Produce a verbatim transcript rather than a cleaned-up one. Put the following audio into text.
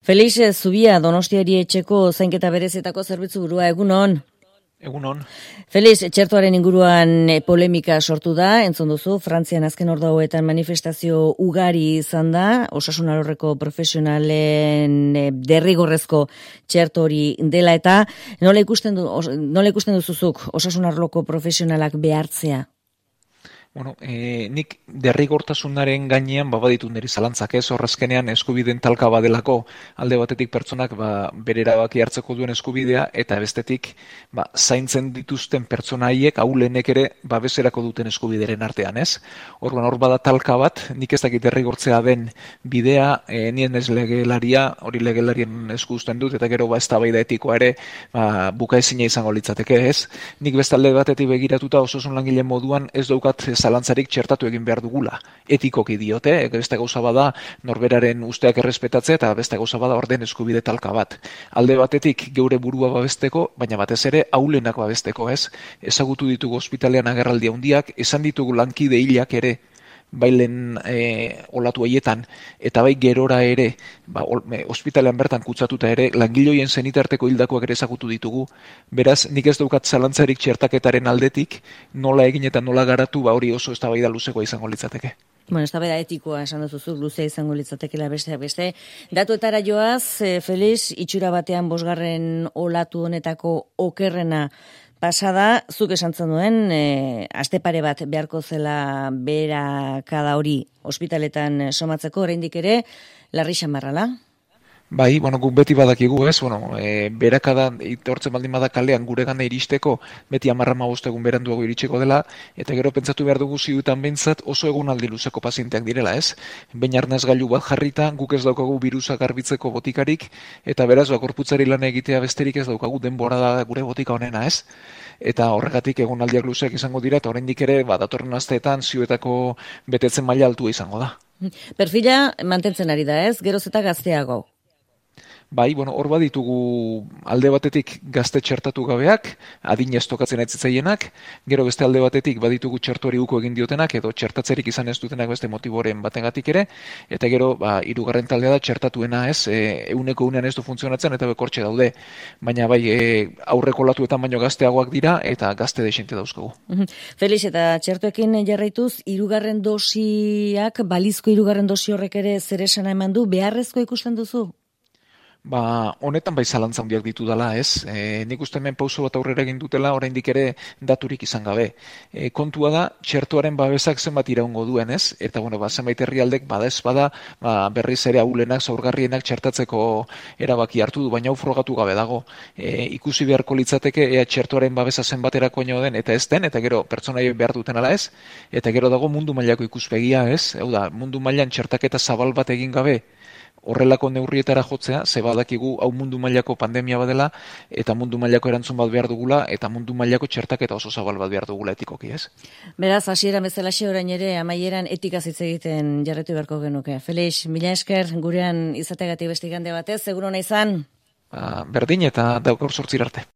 Felix Zubia, Donostiari etxeko zainketa berezietako zerbitzu burua, egunon. Egunon. Felix, txertoaren inguruan polemika sortu da, entzun duzu, Frantzian azken ordu hauetan manifestazio ugari izan da, osasun alorreko profesionalen derrigorrezko txerto hori dela eta nola ikusten du, nola ikusten duzuzuk osasun arloko profesionalak behartzea? Bueno, e, nik derrigortasunaren gainean babaditu niri zalantzak ez, horrezkenean eskubideen talka badelako alde batetik pertsonak ba, bere erabaki hartzeko duen eskubidea eta bestetik ba, zaintzen dituzten pertsona haiek ahulenek ere babeserako duten eskubideren artean ez. Orduan hor bada talka bat, nik ez dakit derrigortzea den bidea, e, nien ez legelaria, hori legelarien esku uzten dut eta gero ba eztabaida etikoa ere ba, bukaezina izango litzateke ez. Nik beste alde batetik begiratuta osasun langile moduan ez daukat zalantzarik txertatu egin behar dugula. Etikoki diote, beste gauza bada norberaren usteak errespetatzea eta beste gauza bada orden eskubide talka bat. Alde batetik geure burua babesteko, baina batez ere ahulenak babesteko ez. Ezagutu ditugu ospitalean agerraldi handiak, esan ditugu lankide hilak ere, bailen e, olatu haietan, eta bai gerora ere, ba, ospitalean bertan kutsatuta ere, langiloien zenitarteko hildakoak ere ezagutu ditugu. Beraz, nik ez daukat zalantzarik txertaketaren aldetik, nola egin eta nola garatu, ba hori oso eztabaida luzekoa izango litzateke. Bueno, eztabaida etikoa esan duzu luzea izango litzatekeela beste beste. Datuetara joaz, e, Felix, itxura batean bosgarren olatu honetako okerrena pasada, zuk esan zenuen, e, aste pare bat beharko zela beherakada hori ospitaletan somatzeko, oraindik ere, larri xamarrala? Bai, bueno, guk beti badakigu ez, bueno, e, berakada itortzen baldin bada kalean gure gana iristeko, beti amarra egun beranduago iritseko dela, eta gero pentsatu behar dugu zidutan behintzat oso egunaldi luzeko pazienteak direla ez. Behin arnaz gailu bat jarrita, guk ez daukagu birusa garbitzeko botikarik, eta beraz, gorputzari lan egitea besterik ez daukagu denbora da gure botika honena ez. Eta horregatik egunaldiak luzeak izango dira, eta oraindik ere, ba, datorren asteetan zioetako betetzen maila altua izango da. Perfila mantentzen ari da ez, geroz eta gazteago. Bai, bueno, hor baditugu alde batetik gazte txertatu gabeak, adinez tokatzen aitzitzaienak, gero beste alde batetik baditugu txertuari uko egin diotenak, edo txertatzerik izan ez dutenak beste motiboren batengatik ere, eta gero, ba, hirugarren taldea da txertatuena ez, e, euneko unean ez du funtzionatzen eta bekortxe daude, baina bai, e, aurreko latuetan baino gazteagoak dira, eta gazte desente dauzkagu. Felix, eta txertuekin jarraituz, hirugarren dosiak, balizko hirugarren dosi horrek ere zer esana eman du, beharrezko ikusten duzu? Ba, honetan bai zalantza handiak ditu dela, ez? E, nik uste hemen pauso bat aurrera egin dutela, oraindik ere daturik izan gabe. E, kontua da, txertuaren babesak zenbat iraungo duen, ez? Eta, bueno, ba, zenbait herrialdek bada ez bada, ba, berriz ere ahulenak, zaurgarrienak txertatzeko erabaki hartu du, baina hau frogatu gabe dago. E, ikusi beharko litzateke, ea txertuaren babesa zenbaterako den, eta ez den, eta gero pertsonaiek behar duten ala ez, eta gero dago mundu mailako ikuspegia, ez? Hau da, mundu mailan txertaketa zabal bat egin gabe, horrelako neurrietara jotzea, ze badakigu hau mundu mailako pandemia badela, eta mundu mailako erantzun bat behar dugula, eta mundu mailako txertaketa oso zabal bat behar dugula etikoki, ez? Beraz, hasieran bezalaxe orain ere, amaieran etikaz hitz egiten jarretu beharko genuke. Felix, mila esker, gurean izategatik beste igande batez, seguro nahi izan? Ba, berdin eta daukaur sortzir arte.